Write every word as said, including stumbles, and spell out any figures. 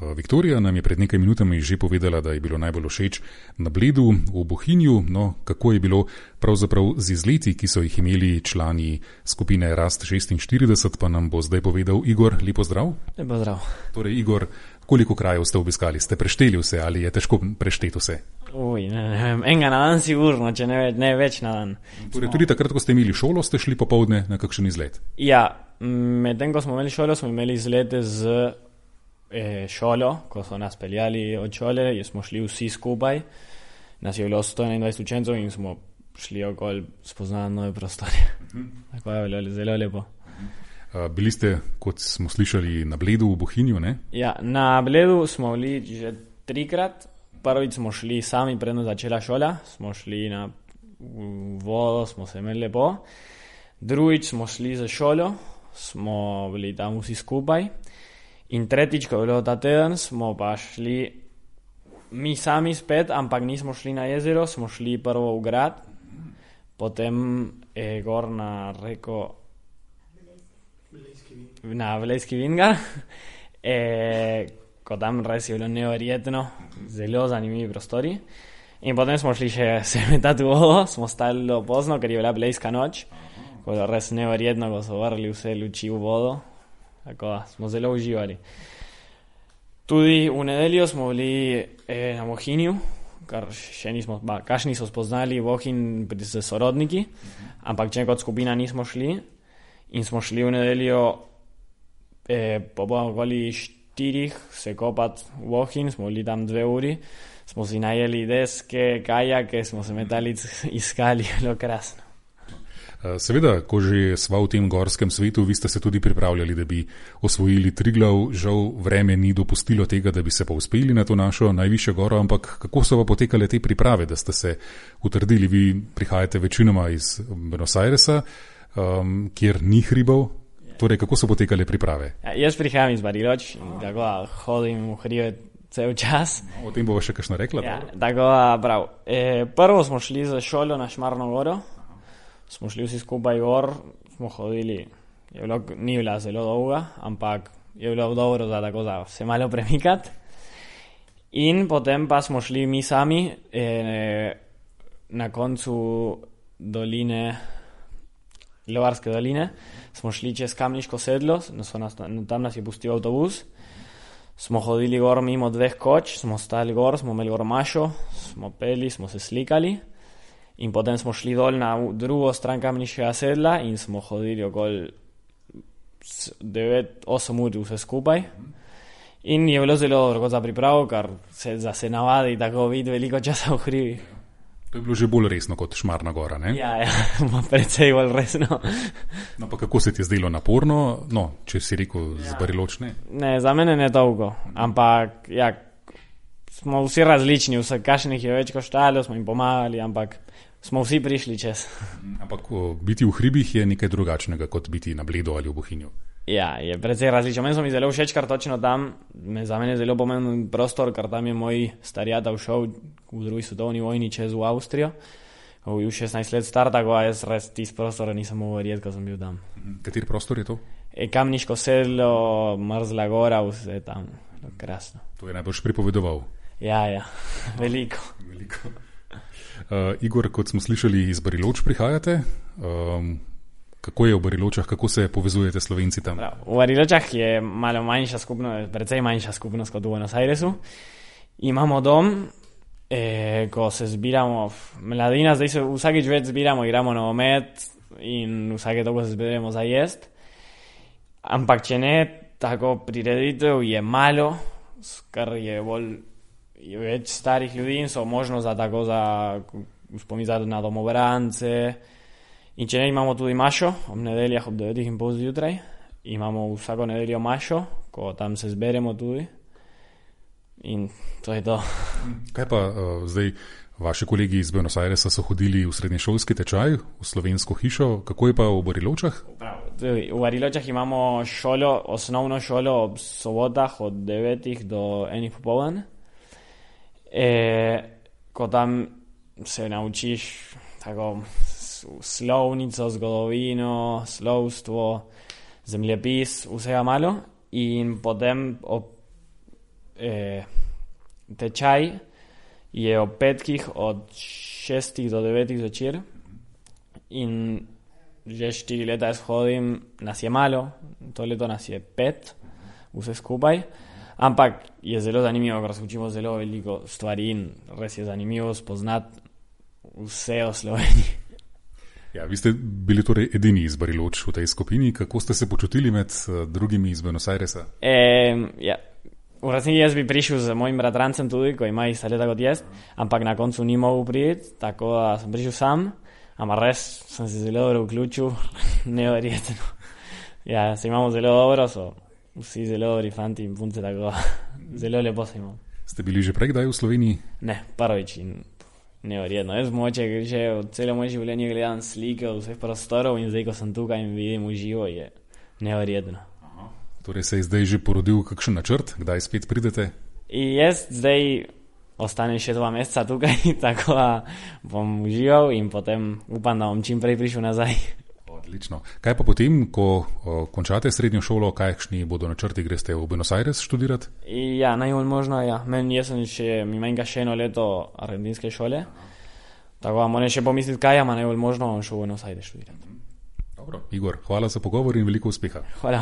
Viktorija nam je pred nekaj minutami že povedala, da je bilo najbolj všeč na Bledu v Bohinju. No, kako je bilo pravzaprav z izleti, ki so jih imeli člani skupine Rast šestinštirideset, pa nam bo zdaj povedal Igor. Lepo zdrav. Lepo zdrav. Torej, Igor, koliko krajev ste obiskali? Ste prešteli vse ali je težko prešteti vse? Uj, ne, ne vem, enega na dan sigurno, če ne, ne več na dan. Torej, tudi takrat, ko ste imeli šolo, ste šli popoldne na kakšen izlet? Ja, medtem ko smo imeli šolo, smo imeli izlete z e, šolo, ko so nas peljali od šole, smo šli vsi skupaj, nas je bilo sto enaindvajset učencev in smo šli okoli spoznati nove prostore. Uh-huh. Tako je bilo zelo lepo. Uh, bili ste, kot smo slišali, na Bledu v Bohinju, ne? Ja, na Bledu smo bili že trikrat. Prvič smo šli sami, predno začela šola, smo šli na vodo, smo se imeli lepo. Drugič smo šli za šolo, smo bili tam vsi skupaj. In tretjič, ko je bilo ta teden, smo pa šli mi sami spet, ampak nismo šli na jezero, smo šli prvo v grad, potem eh, gor na reko, na Velejski Vingar, eh, ko tam res je bilo neverjetno, zelo zanimivi prostori. In potem smo šli še se metati v vodo, smo stali pozno, ker je bila blejska noč, ko je res neverjetno, ko so vrli vse luči v vodo. Tako da smo zelo uživali. Tudi v nedeljo smo bili eh, na Bohinju, kar še nismo, ba, kaš niso spoznali Bohinj s sorodniki, ampak če kot skupina nismo šli in smo šli v nedeljo eh, po okoli štirih se kopati v Bohinj, smo bili tam dve uri, smo si najeli deske, kajake, smo se metali iskali, bilo krasno. Seveda, ko že sva v tem gorskem svetu, vi ste se tudi pripravljali, da bi osvojili Triglav. Žal vreme ni dopustilo tega, da bi se pa uspeli na to našo najvišjo goro, ampak kako so pa potekale te priprave, da ste se utrdili? Vi prihajate večinoma iz Buenos Airesa, um, kjer ni hribov. Torej, kako so potekale priprave? Ja, jaz prihajam iz Bariloč in tako hodim v hribe cel čas. No, o tem bova še kakšno rekla. Ja, tako prav. E, prvo smo šli za šolo na Šmarno goro. Smo šli vsi skupaj gor, smo hodili, je bilo, ni bila zelo dolga, ampak je bilo dobro za tako za se malo premikati. In potem pa smo šli mi sami eh, na koncu doline, Lovarske doline, smo šli čez Kamniško sedlo, nas, tam nas je pustil avtobus, smo hodili gor mimo dveh koč, smo stali gor, smo imeli gor mašo, smo peli, smo se slikali. In potem smo šli dol na drugo stran Kamniškega sedla in smo hodili okoli devet osem ur vse skupaj. In je bilo zelo dobro za pripravo, ker se, za se navadi tako vidi veliko časa v hribi. To je bilo že bolj resno kot Šmarna gora, ne? Ja, ja, precej bolj resno. No, pa kako se ti je zdelo naporno? No, če si rekel ja. Z Bariločne? Ne, za mene ne dolgo, ampak ja, smo vsi različni, vse kašnih je več koštalo, smo jim pomagali, ampak smo vsi prišli čez. Ampak biti v hribih je nekaj drugačnega, kot biti na Bledu ali v Bohinju. Ja, je precej različno. Meni so mi zelo všeč, ker točno tam, za mene je zelo pomemben prostor, ker tam je moj starjata šel v drugi svetovni vojni čez v Avstrijo. Ko je bil šestnajst let star, tako da jaz res tisti prostor nisem mogel verjeti, ko sem bil tam. Kateri prostor je to? E, Kamniško sedlo, Mrzla gora, vse tam. Krasno. To je najbolj pripovedoval. Ja, ja, veliko. veliko. Uh, Igor, kot smo slišali, iz Bariloč prihajate. Um, kako je v Bariločah, kako se povezujete Slovenci tam? Prav. V Bariločah je malo manjša skupnost, precej manjša skupnost kot v Buenos Airesu. Imamo dom, eh, ko se zbiramo, mladina, zdaj se vsakič več zbiramo, igramo nogomet in vsake toliko se zbiramo za jest. Ampak če ne, tako prireditev je malo, kar je bolj je več starih ljudi in so možnost za tako za spomizati na domobrance. In če ne, imamo tudi mašo, ob nedeljah ob devetih in pol zjutraj. Imamo vsako nedeljo mašo, ko tam se zberemo tudi. In to je to. Kaj pa uh, zdaj, vaši kolegi iz Buenos Airesa so hodili v srednješolski tečaj, v slovensko hišo, kako je pa v Bariločah? V Bariločah imamo šolo, osnovno šolo ob sobotah od devetih do enih popoldan. E, ko tam se naučiš tako slovnico, zgodovino, slovstvo, zemljepis, vsega malo in potem ob eh, tečaj je ob petkih od šestih do devetih zvečer in že štiri leta jaz hodim, nas je malo, to leto nas je pet, vse skupaj, ampak je zelo zanimivo, ker se učimo zelo veliko stvari in res je zanimivo spoznati vse o Sloveniji. Ja, vi ste bili torej edini iz Bariloč v tej skupini. Kako ste se počutili med drugimi iz Buenos Airesa? E, ja, v resnici jaz bi prišel z mojim bratrancem tudi, ko ima ista leta kot jaz, ampak na koncu ni mogel priti, tako da sem prišel sam, ampak res sem se zelo dobro vključil, neverjetno. Ja, se imamo zelo dobro, so vsi zelo dobri fanti in punce, tako zelo lepo se imamo. Ste bili že prej kdaj v Sloveniji? Ne, prvič in neverjetno. Jaz moče, že od celo moje življenje gledam slike od vseh prostorov in zdaj, ko sem tukaj in vidim v živo, je neverjetno. Aha. Torej se je zdaj že porodil kakšen načrt, kdaj spet pridete? In jaz zdaj ostanem še dva meseca tukaj, tako da bom užival in potem upam, da bom čim prej prišel nazaj. Odlično. Kaj pa potem, ko o, končate srednjo šolo, kakšni bodo načrti, greste v Buenos Aires študirati? Ja, najbolj možno, ja. Meni jaz sem še, mi manjka še eno leto argentinske šole, tako da moram še pomisliti, kaj, ama najbolj možno bom šel v Buenos Aires študirati. Dobro, Igor, hvala za pogovor in veliko uspeha. Hvala.